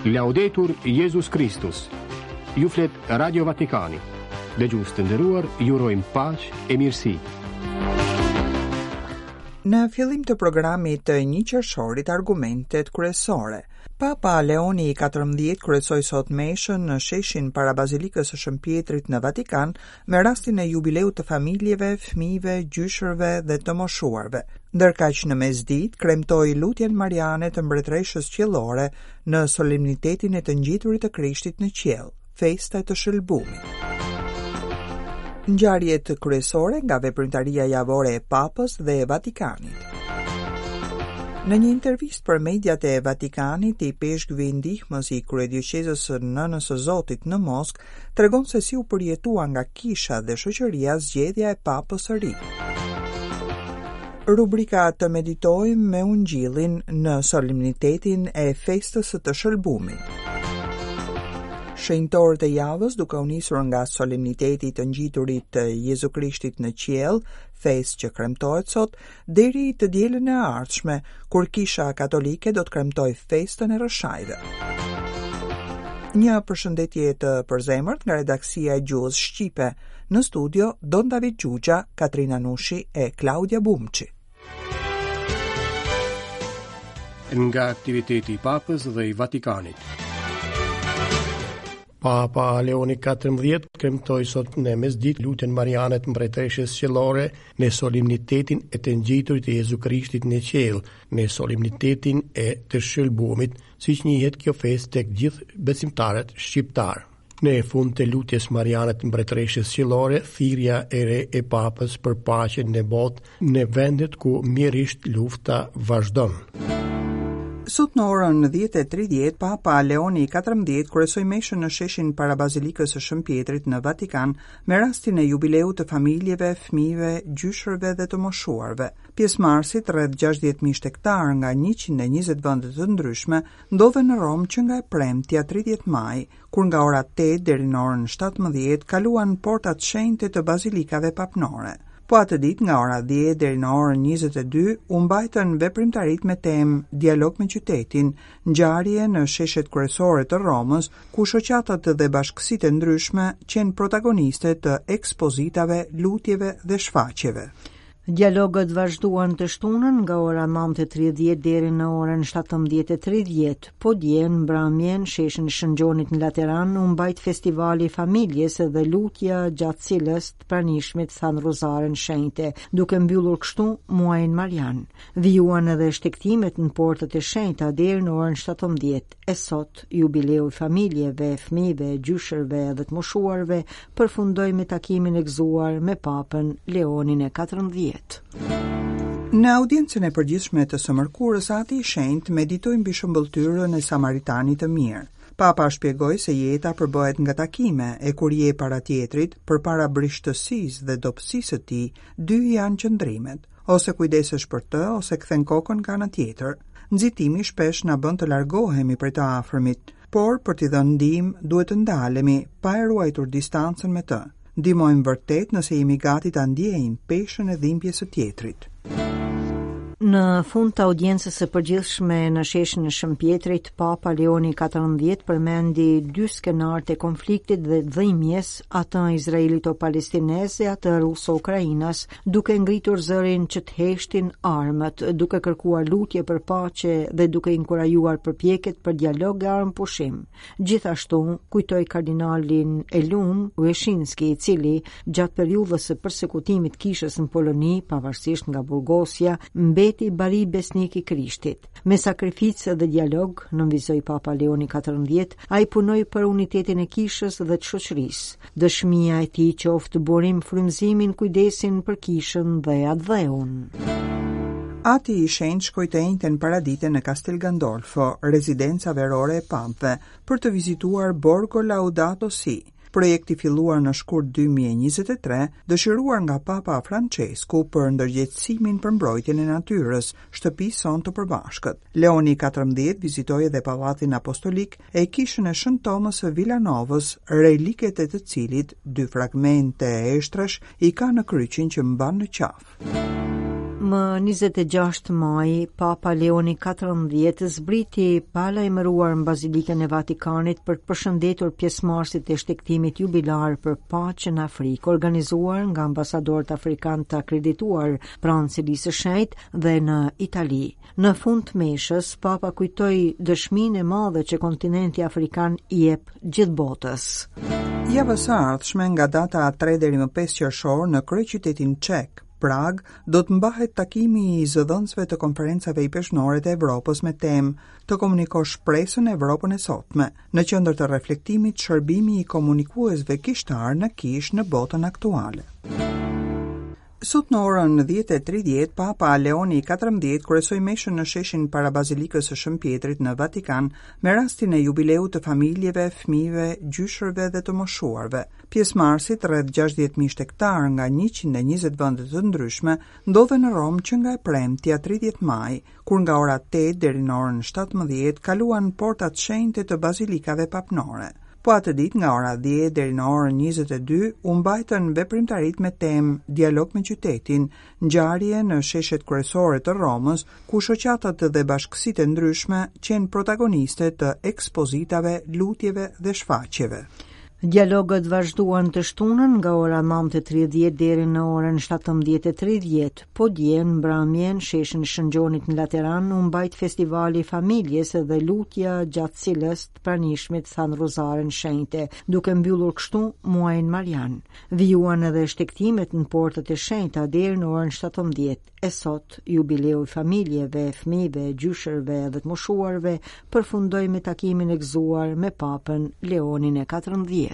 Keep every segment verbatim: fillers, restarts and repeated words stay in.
Laudetur Jezus Kristus. Ju flet Radio Vatikani. Dëgjues të nderuar, ju urojmë paqe e mirësi. Në fillim të programit të një qershorit, argumentet kryesore. Papa Leoni i katërmbëdhjetë kryesoi sot meshën në sheshin para Bazilikës së Shën Pietrit në Vatikan me rastin e jubileut të familjeve, fëmijëve, gjyshërve dhe të moshuarve. Ndërkaq në mesditë kremtoi lutjen mariane të mbretëreshës qiellore në solemnitetin e të ngjiturit të Krishtit në qiell, festa e të shëlbumit. Ngjarjet kryesore nga veprimtaria javore e Papës dhe e Vatikanit. Në një intervistë për mediat e Vatikanit, ipeshkvi ndihmës i kryedioqezës së Nënës së Zotit në Moskë tregon se si u përjetua nga kisha dhe shoqëria zgjedhja e Papës së ri. Rubrika Të meditojmë me Ungjillin në solemnitetin e festës së të shëlbumit. Shenjtorët e javës, duke u nisur nga solemniteti i të ngjiturit të Jezu Krishtit në qiell, festë që kremtohet sot, deri të dielën e ardhshme, kur Kisha Katolike do të kremtojë festën e Rrëshajve. Një përshëndetje të përzemërt nga redaksia e Gjuhës Shqipe. Në studio Don David Xhuxha, Katrina Nushi e Klaudia Bumçi. Nga aktiviteti i Papës dhe i Vatikanit. Papa Leoni katërmbëdhjetë kremtoi sot në mesditë lutjen mariane të mbretëreshës qiellore në solemnitetin e të ngjiturit të Jezu Krishtit në qiell, në solemnitetin e të shëlbumit, siç njihet kjo festë tek gjithë besimtarët shqiptar. Në fund të lutjes mariane të mbretëreshës qiellore, thirrja e re e Papës për paqen në botë, në vendet ku mjerisht lufta vazhdon. Sot në orën dhjetë e tridhjetë, Papa Leoni i katërmbëdhjetë kryesoi meshën në sheshin para Bazilikës së Shën Pietrit në Vatikan me rastin e jubileut të familjeve, fëmijëve, gjyshërve dhe të moshuarve. Pjesëmarrësit, rreth gjashtëdhjetë mijë shtegtar nga njëqind e njëzet vende të ndryshme, ndodhen në Romë që nga e premtja tridhjetë maj, kur nga ora tetë deri në orën shtatëmbëdhjetë kaluan portat shenjte të bazilikave papnore. Po atë ditë nga ora dhjetë deri në orën njëzet e dy u mbajtën veprimtaritë me temë dialog me qytetin, ngjarje në sheshet kryesore të Romës, ku shoqatat dhe bashkësitë e ndryshme qenë protagoniste të ekspozitave, lutjeve dhe shfaqjeve. Dialogët vazhduan të shtunën nga ora nëntë e tridhjetë deri në orën shtatëmbëdhjetë e tridhjetë. Po dje në mbrëmje në sheshin e Shën Gjonit në Lateran u mbajt festivali i familjes dhe lutja gjatë cilës të pranishmit thanë rozaren shenjte, duke mbyllur kështu muajin Marian. Vijuan edhe shtegtimet në portat e shenjta deri në orën shtatëmbëdhjetë. E sot, jubileu i familjeve, fëmijëve, gjyshërve dhe të moshuarve përfundoi me takimin e gëzuar me Papën Leonin e katërmbëdhjetë. Në audiencën e përgjithshme të së mërkurës, Ati i Shenjtë meditoi mbi shëmbëlltyrën e Samaritanit të mirë. Papa shpjegoi se jeta përbëhet nga takime, e kur je para tjetrit, përpara brishtësisë dhe dobësisë së tij, dy janë qëndrimet, ose kujdesesh për të, ose kthen kokën nga ana tjetër. Nxitimi shpesh na bën të largohemi prej të afërmit, por për t'i dhënë ndihmë duhet të ndalemi pa e ruajtur distancën me të. Ndihmojmë vërtet nëse jemi gati ta ndjejmë peshën e dhimbjes së tjetrit. Në fund të audiencës së përgjithshme në sheshin e Shën Pietrit, Papa Leoni katërmbëdhjetë përmendi dy skenarët e konfliktit dhe dhimbjes, atë izraelito-palestinez e atë ruso-ukrainas, duke ngritur zërin që të heshtin armët, duke kërkuar lutje për paqe dhe duke inkurajuar përpjekjet për dialog e armëpushim. Gjithashtu, kujtoi kardinalin Elum Wyszyński, i cili gjatë periudhës së persekutimit kishës në Poloni, pavarësisht nga burgosja, mbeti bari besnik i Krishtit. Me sakrificë dhe dialog, nënvizoi Papa Leoni katërmbëdhjetë, ai punoi për unitetin e kishës dhe të shoqërisë. Dëshmia e tij qoftë burim frymëzimin, kujdesin për kishën dhe atdheun. Ati i Shenjtë shkoi të enjten paradite në Castel Gandolfo, rezidenca verore e papëve, për të vizituar Borgo Laudato Si, projekti filluar në shkurt dy mijë e njëzet e tre, dëshiruar nga Papa Francesku për ndërgjegjësimin për mbrojtjen e natyrës, shtëpisë sonë të përbashkët. Leoni katërmbëdhjetë vizitoi edhe Pallatin Apostolik e kishën e Shën Tomës së Villanovës, reliket e të cilit dy fragmente eshtrash i ka në kryqin që mban në qafë. Më njëzet e gjashtë maj, Papa Leoni katërmbëdhjetë zbriti pa lajmëruar në Bazilikën e Vatikanit për të përshëndetur pjesëmarrësit e shtegtimit jubilar për paqe në Afrikë, organizuar nga ambasadorët afrikanë të akredituar pranë Selisë së Shenjtë dhe në Itali. Në fund të meshës, Papa kujtoi dëshminë e madhe që kontinenti afrikan i jep gjithë botës. Javës së ardhshme nga data tre deri më pesë qershor në kryeqytetin çek, Prag, do të mbahet takimi i zëdhënësve të konferencave ipeshkvnore të Evropës me temë të komunikosh shpresën në Evropën e sotme, në qendër të reflektimit shërbimi i komunikuesve kishtar në kishë në botën aktuale. Sot në orën dhjetë e tridhjetë, Papa Leoni katërmbëdhjetë kryesoi meshën në sheshin para Bazilikës së Shën Pjetrit në Vatikan me rastin e jubileut të familjeve, fëmijëve, gjyshërve dhe të moshuarve. Pjesëmarrësit, rreth gjashtëdhjetë mijë shtegtar nga njëqind e njëzet vende të ndryshme, ndodhen në Romë që nga e premtja tridhjetë maj, kur nga ora tetë deri në orën shtatëmbëdhjetë kaluan portat shenjte të bazilikave papnore. Po atë ditë nga ora dhjetë deri në orën njëzet e dy u mbajtën veprimtaritë me temë dialog me qytetin, ngjarje në sheshet kryesore të Romës, ku shoqatat dhe bashkësitë e ndryshme qenë protagoniste të ekspozitave, lutjeve dhe shfaqjeve. Dialogët vazhduan të shtunën nga ora nëntë e tridhjetë deri në orën shtatëmbëdhjetë e tridhjetë. Po dje në mbrëmje në sheshin e Shën Gjonit në Lateran u mbajt festivali i familjes dhe lutja gjatë cilës të pranishmit thanë rozaren shenjte, duke mbyllur kështu muajin Marian. Vijuan edhe shtegtimet në portat e shenjta deri në orën shtatëmbëdhjetë. E sot, jubileu i familjeve, fëmijëve, gjyshërve dhe të moshuarve përfundoi me takimin e gëzuar me Papën Leonin e katërmbëdhjetë.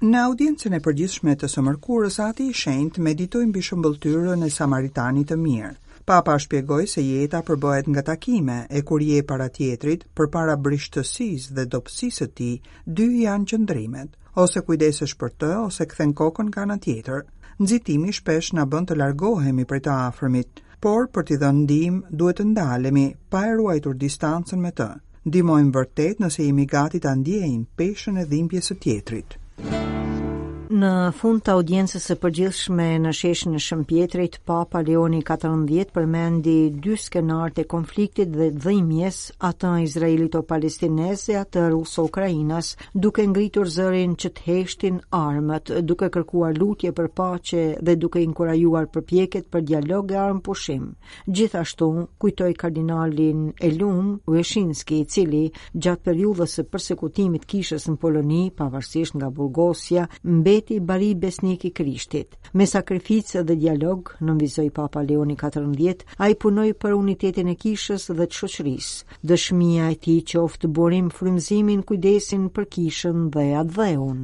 Në audiencën e përgjithshme të së mërkurës, Ati i Shenjtë meditoi mbi shëmbëlltyrën e Samaritanit të mirë. Papa shpjegoi se jeta përbëhet nga takime, e kur je para tjetrit, përpara brishtësisë dhe dobësisë së tij, dy janë qëndrimet, ose kujdesesh për të, ose kthen kokën nga ana tjetër. Nxitimi shpesh na bën të largohemi prej të afërmit, por për t'i dhënë ndihmë duhet të ndalemi pa e ruajtur distancën me të. Ndihmojmë vërtet nëse jemi gati ta ndjejmë peshën e dhimbjes së tjetrit. Në fund të audiencës së përgjithshme në sheshin e Shën Pjetrit, Papa Leoni katërmbëdhjetë përmendi dy skenarët e konfliktit dhe dhimbjes, atë izraelito-palestinez e atë ruso-ukrainas, duke ngritur zërin që të heshtin armët, duke kërkuar lutje për paqe dhe duke inkurajuar përpjekjet për dialog e armëpushim. Gjithashtu, kujtoi kardinalin e Lum, Wyszyński, i cili gjatë periudhës së persekutimit kishës në Poloni, pavarësisht nga burgosja, mbeti bari besnik i Krishtit. Me sakrificë dhe dialog, nënvizoi Papa Leoni katërmbëdhjetë, ai punoi për unitetin e kishës dhe të shoqërisë. Dëshmia e tij qoftë burim frymëzimin, kujdesin për kishën dhe atdheun.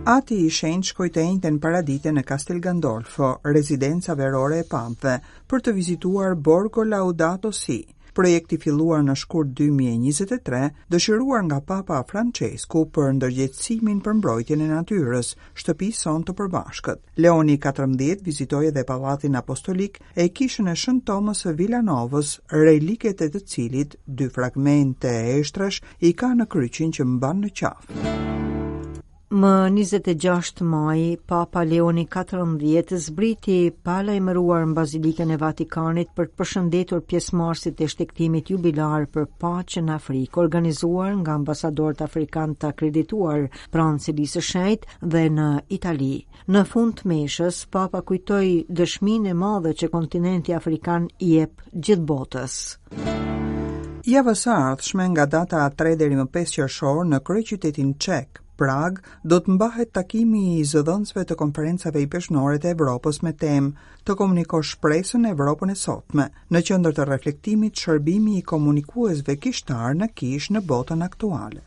Ati i Shenjtë shkoi të enjten paradite në Castel Gandolfo, rezidenca verore e papëve, për të vizituar Borgo Laudato Si, projekti filluar në shkurt dy mijë e njëzet e tre, dëshiruar nga Papa Francesku për ndërgjegjësimin për mbrojtjen e natyrës, shtëpisë sonë të përbashkët. Leoni katërmbëdhjetë vizitoi edhe Pallatin Apostolik e kishën e Shën Tomës së Villanovës, reliket e të cilit dy fragmente eshtrash i ka në kryqin që mban në qafë. Më njëzet e gjashtë maj, Papa Leoni katërmbëdhjetë zbriti pa lajmëruar në Bazilikën e Vatikanit për të përshëndetur pjesëmarrësit e shtegtimit jubilar për paqe në Afrikë, organizuar nga ambasadorët afrikanë të akredituar pranë Selisë së Shenjtë dhe në Itali. Në fund të meshës, Papa kujtoi dëshminë e madhe që kontinenti afrikan i jep gjithë botës. Javës së ardhshme nga data tre deri më pesë qershor në kryeqytetin çek, Prag, do të mbahet takimi i zëdhënësve të konferencave ipeshkvnore të Evropës me temë të komunikosh shpresën në Evropën e sotme, në qendër të reflektimit shërbimi i komunikuesve kishtar në kishë në botën aktuale.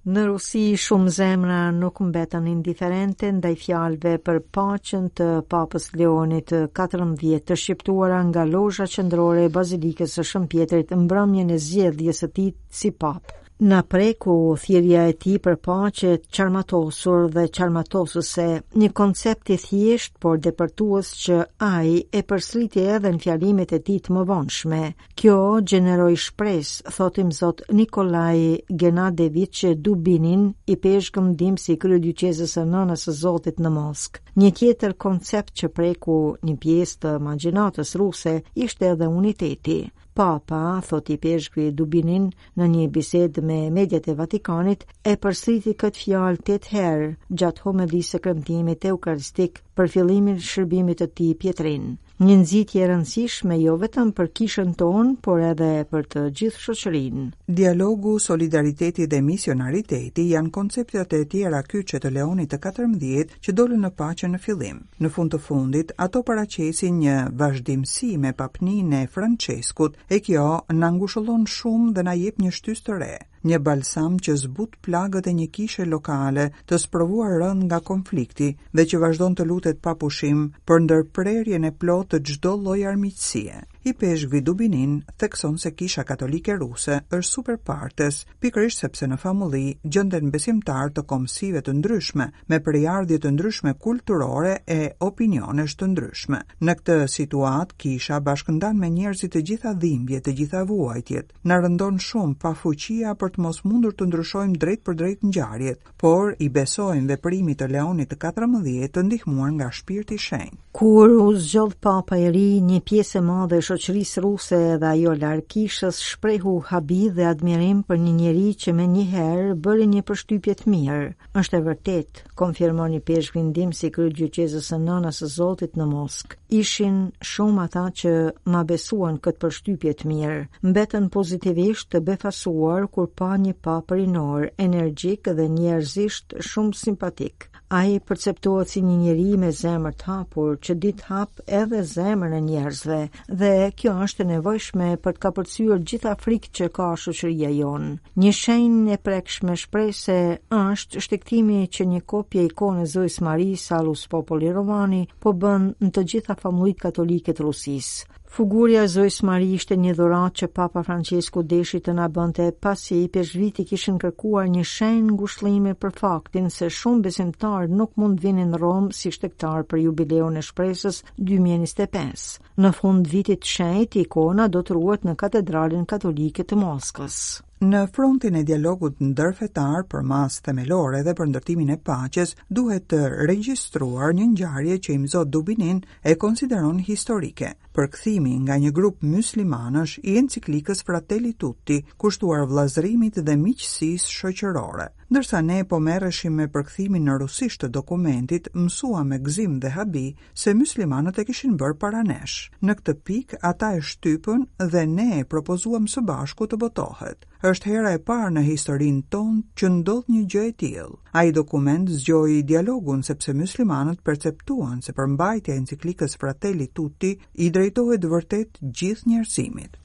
Në Rusi shumë zemra nuk mbetën indiferente ndaj fjalëve për paqen të Papës Leonit të katërmbëdhjetë të shqiptuara nga lozha qendrore e Bazilikës së Shën Pjetrit mbrëmjen e zgjedhjes së tij si papë. Na preku thirrja e tij për paqe të çarmatosur dhe çarmatosëse, një koncept i thjeshtë por depërtues që ai e përsëriti edhe në fjalimet e tij të mëvonshme. Kjo gjeneroi shpresë, thotë imzot Nikolaj Genadevich Dubinin, ipeshkëv ndihmës i kryedioqezës së Nënës së Zotit në Moskë. Një tjetër koncept që preku një pjesë të imagjinatës ruse ishte edhe uniteti. Papa, thotë ipeshkvi Dubinin në një bisedë me mediat e Vatikanit, e përsëriti këtë fjalë tetë herë gjatë homilisë së kremtimit eukaristik për fillimin e shërbimit të tij Pietrin. Një nxitje e rëndësishme jo vetëm për kishën tonë, por edhe për të gjithë shoqërinë. Dialogu, solidariteti dhe misionariteti janë konceptet e tjera kyçe të Leonit të katërmbëdhjetë që dolën në paqe në fillim. Në fund të fundit, ato paraqesin një vazhdimësi me papninë e Franceskut, e kjo na ngushëllon shumë dhe na jep një shtysë të re, një balsam që zbut plagët e një kishe lokale të sprovuar rënd nga konflikti dhe që vazhdon të lutet pa pushim për ndërprerjen e plotë të çdo lloj armiqësie. Ipeshkvi Dubinin thekson se Kisha Katolike Ruse është super partes, pikërisht sepse në famulli gjenden besimtarë të kombësive të ndryshme, me prejardhje të ndryshme kulturore e opinionesh të ndryshme. Në këtë situatë, kisha bashkëndan me njerëzit të gjitha dhimbjet, të gjitha vuajtjet. Na rëndon shumë pafuqia për të mos mundur të ndryshojmë drejt për drejt ngjarjet, por i besojmë veprimit të Leonit të katërmbëdhjetë të ndihmuar nga Shpirti i Shenjtë. Kur u zgjodh Papa i ri, një pjesë e madhe e shoqërisë ruse dhe ajo larg kishës shprehu habi dhe admirim për një njeri që më njëherë bëri një përshtypje të mirë. Është e vërtetë, konfirmon ipeshkvi ndihmës i kryedioqezës së Nënës së Zotit në Moskë. Ishin shumë ata që ma besuan këtë përshtypje të mirë. Mbetën pozitivisht të befasuar kur pa një papë rinor, energjik dhe njerëzisht shumë simpatik. Ai perceptohet si një njeri me zemër të hapur, që di të hap edhe zemrën e njerëzve, dhe kjo është e nevojshme për të kapërcyer gjitha frikët që ka shoqëria jonë. Një shenjë e prekshme shprese është shtegtimi që një kopje ikone Zojës Marisë Salus Popoli Romani po bën në të gjitha famullitë katolike të Rusisë. Figura e Zojës Mari ishte një dhuratë që Papa Francesku deshi të na bënte pasi ipeshkviti kishin kërkuar një shenjë ngushëllimi për faktin se shumë besimtarë nuk mund vinin në Romë si shtegtar për jubileun e shpresës dy mijë e njëzet e pesë. Në fund vitit të shenjtë, ikona do të ruhet në Katedralën Katolike të Moskës. Në frontin e dialogut ndërfetar për masë themelore dhe për ndërtimin e paqes, duhet të regjistruar një ngjarje që Imzot Dubinin e konsideron historike. Përkthimi nga një grup muslimanësh i enciklikës Fratelli Tutti, kushtuar vllazërimit dhe miqësisë shoqërore. Ndërsa ne po merreshim me përkthimin në rusisht të dokumentit, mësuam me gëzim dhe habi se muslimanët e kishin bërë para nesh. Në këtë pikë ata e shtypën dhe ne e propozuam së bashku të botohet. Është hera e parë në historinë tonë që ndodh një gjë e tillë. Ai dokument zgjoi dialogun sepse muslimanët perceptuan se përmbajtja e enciklikës Fratelli Tutti i drejtohet vërtet gjithë njerëzimit.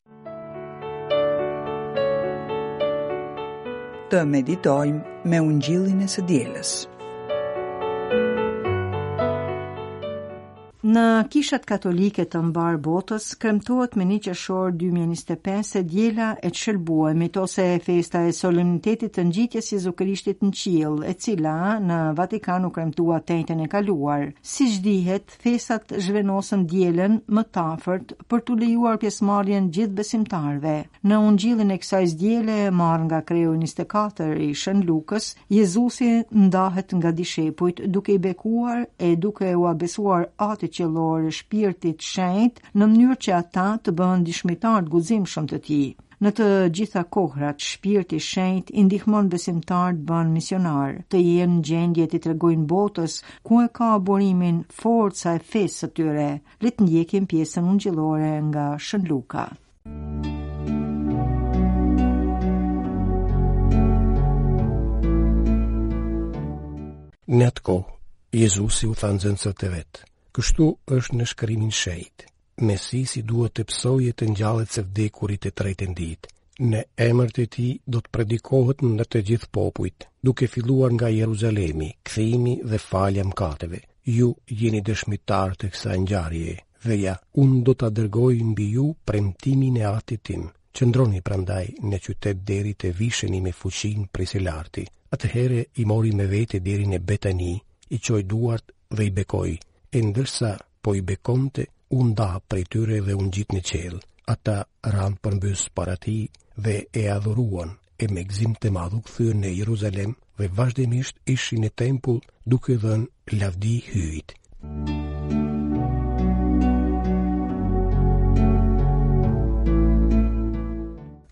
Të meditojmë me ungjillin e së dielës. Në kishat katolike të mbar botës kremtohet me një qershor dy mijë e njëzet e pesë e diela e të shëlbuemit ose festa e solemnitetit të ngjitjes Jezu Krishtit në qiell, e cila në Vatikan u kremtua të enjten e kaluar. Siç dihet, festat zhvenosen dielën më të afërt për t'u lejuar pjesëmarrjen gjithë besimtarëve. Në ungjillin e kësaj diele, marrë nga kreu njëzet e katër i Shën Lukës, Jezusi ndahet nga dishepujt duke i bekuar e duke ua besuar Atit qiellor e Shpirtit Shenjt në mënyrë që ata të bëhen dëshmitarë të guximshëm të tij. Në të gjitha kohrat, Shpirti Shenjt i ndihmon besimtarët të bëhen misionar, të jenë në gjendje t'i tregojnë botës ku e ka burimin forca e fesë së tyre. Le të ndjekim pjesën ungjillore nga Shën Luka. Në atë kohë, Jezusi u tha nxënësve të vet: Kështu është në shkrimin shenjt. Mesisi duhet të psojë të ngjallet së vdekurit të tretën ditë. Në emër të tij do të predikohet në të gjithë popujt, duke filluar nga Jeruzalemi, kthimi dhe falja mëkateve. Ju jeni dëshmitar të kësaj ngjarjeje, dhe ja, unë do ta dërgoj mbi ju premtimin e Atit tim. Qëndroni prandaj në qytet deri të visheni me fuqinë prej së larti. Atëherë i mori me vete deri në Betani, i çoi duart dhe i bekoi. E ndërsa po i bekonte, u nda prej tyre dhe u ngjit në qiell. Ata ranë përmbys para tij dhe e adhuruan, e me gëzim të madh u kthyen në Jeruzalem dhe vazhdimisht ishin në tempull duke dhënë lavdi Hyjit.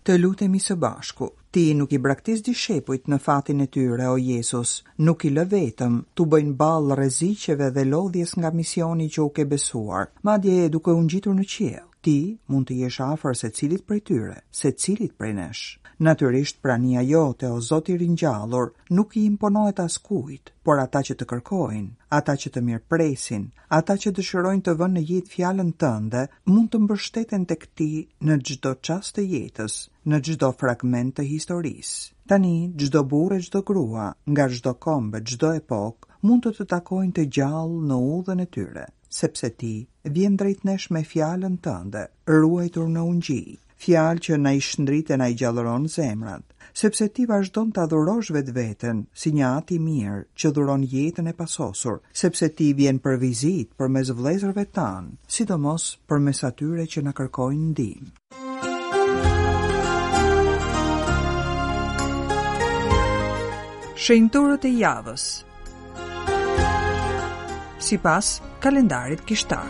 Të lutemi së bashku. Ti nuk i braktis dishepujt në fatin e tyre, o Jezus, nuk i lë vetëm, t'u bëjnë ballë rreziqeve dhe lodhjes nga misioni që u ke besuar, madje duke u ngjitur në qiell. Ti mund të jesh afër secilit prej tyre, secilit prej nesh. Natyrisht prania jote, o Zot i ringjallur, nuk i imponohet askujt, por ata që të kërkojnë, ata që të mirëpresin, ata që dëshirojnë të vënë në jetë fjalën tënde, mund të mbështeten tek ti në çdo çast të jetës, në çdo fragment të historisë. Tani, çdo burrë e çdo grua, nga çdo komb e çdo epokë, mund të të takojnë të gjallë në udhën e tyre, sepse ti vjen drejt nesh me fjalën tënde, ruajtur në ungjij, fjalë që na i shndrit e na i gjallëron zemrat, sepse ti vazhdon ta dhurosh vetveten si një atë i mirë që dhuron jetën e pasosur, sepse ti vjen për vizitë përmes vëllezërve tanë, sidomos përmes atyre që na kërkojnë ndihmë. Shenjtorët e javës sipas kalendarit kishtar.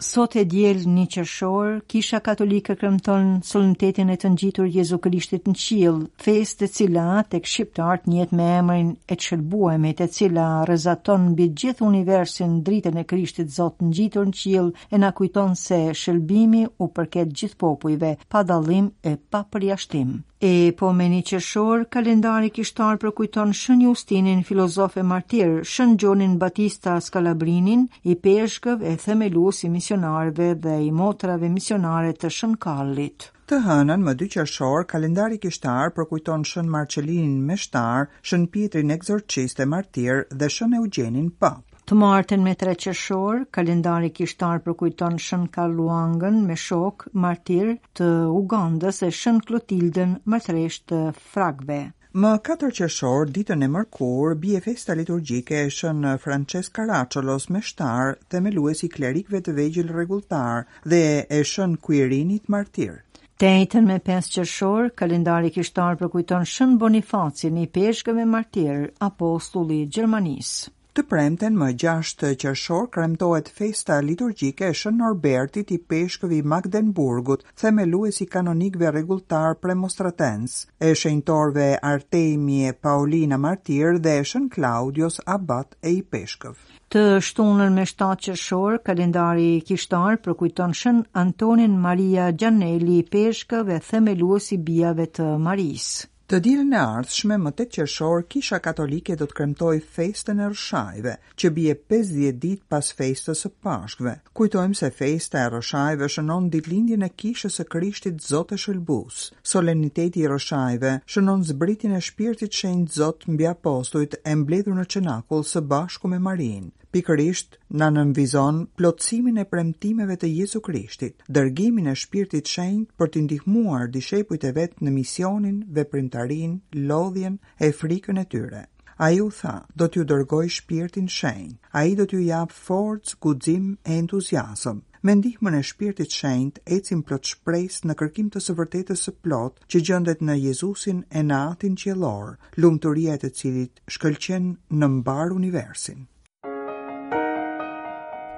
Sot e diel një qershor, Kisha Katolike kremton solemnitetin e të ngjitur Jezu Krishtit në qiell, festë e cila tek shqiptarët njihet me emrin e të shëlbuemit, e cila rrezaton mbi gjithë universin dritën e Krishtit Zot ngjitur në qiell e na kujton se shëlbimi u përket gjithë popujve, pa dallim e pa përjashtim. E po me një qershor, kalendari kishtar përkujton Shën Justinin, filozof e martir, Shën Gjonin Batista Skalabrinin, i peshkëv e themelues i misionarëve dhe i motrave misionare të Shën Karlit. Të hënën, më dy qershor, kalendari kishtar përkujton Shën Marcelinin Meshtar, Shën Pietrin Ekzorcist e martir dhe Shën Eugjenin Pap. Të martën me tre qershor, kalendari kishtar përkujton Shën Karluangën me shok, martir të Ugandës e Shën Klotildën, martresh të Fragve. Më katër qershor, ditën e mërkur, bie festa liturgjike e Shën Francesc Caracciolo meshtar, themelues i klerikëve të vegjël rregulltar dhe e Shën Quirinit martir. Të enjten me pesë qershor, kalendari kishtar përkujton Shën Bonifacin, i peshkëv e martir, apostulli i Gjermanisë. Të premten më gjashtë qershor kremtohet festa liturgjike e Shën Norbertit i peshkëvi Magdenburgut, themelues i kanonikëve rregulltar premonstratens, e shenjtorëve Artemi e Paulina martir dhe e Shën Claudios abat e i peshkëv. Të shtunën me shtatë qershor, kalendari kishtar përkujton Shën Antonin Maria Gianelli, peshkëv e themelues i bijave të Marisë. Të dielën e ardhshme, më tetë qershor, Kisha Katolike do të kremtojë festën e Rrëshajve, që bie pesëdhjetë ditë pas festës së Pashkëve. Kujtojmë se festa e Rrëshajve shënon ditëlindjen e Kishës së Krishtit Zot e Shëlbues. Solemniteti i Rrëshajve shënon zbritjen e Shpirtit Shenjt Zot mbi apostujt e mbledhur në Cenakull së bashku me Marinë. Pikërisht na nënvizon plotësimin e premtimeve të Jezu Krishtit, dërgimin e Shpirtit Shenjt për t'i ndihmuar dishepujt e vet në misionin, veprimtarinë, lodhjen e frikën e tyre. Ai u tha, do t'ju dërgoj Shpirtin Shenjt. Ai do t'ju jap forcë, guxim e entuziazëm. Me ndihmën e Shpirtit Shenjt ecim plot shpresë në kërkim të së vërtetës së plotë që gjendet në Jezusin e në Atin Qiellor, lumturia e të cilit shkëlqen në mbar universin.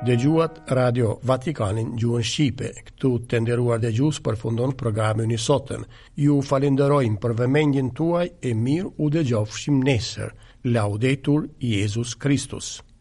Dëgjuat Radio Vatikanin gjuhën shqipe. Këtu të nderuar dëgjues përfundon programi ynë i sotëm. Ju falenderojmë për vëmendjen tuaj e mirë u dëgjofshim nesër. Laudetur Jezus Christus.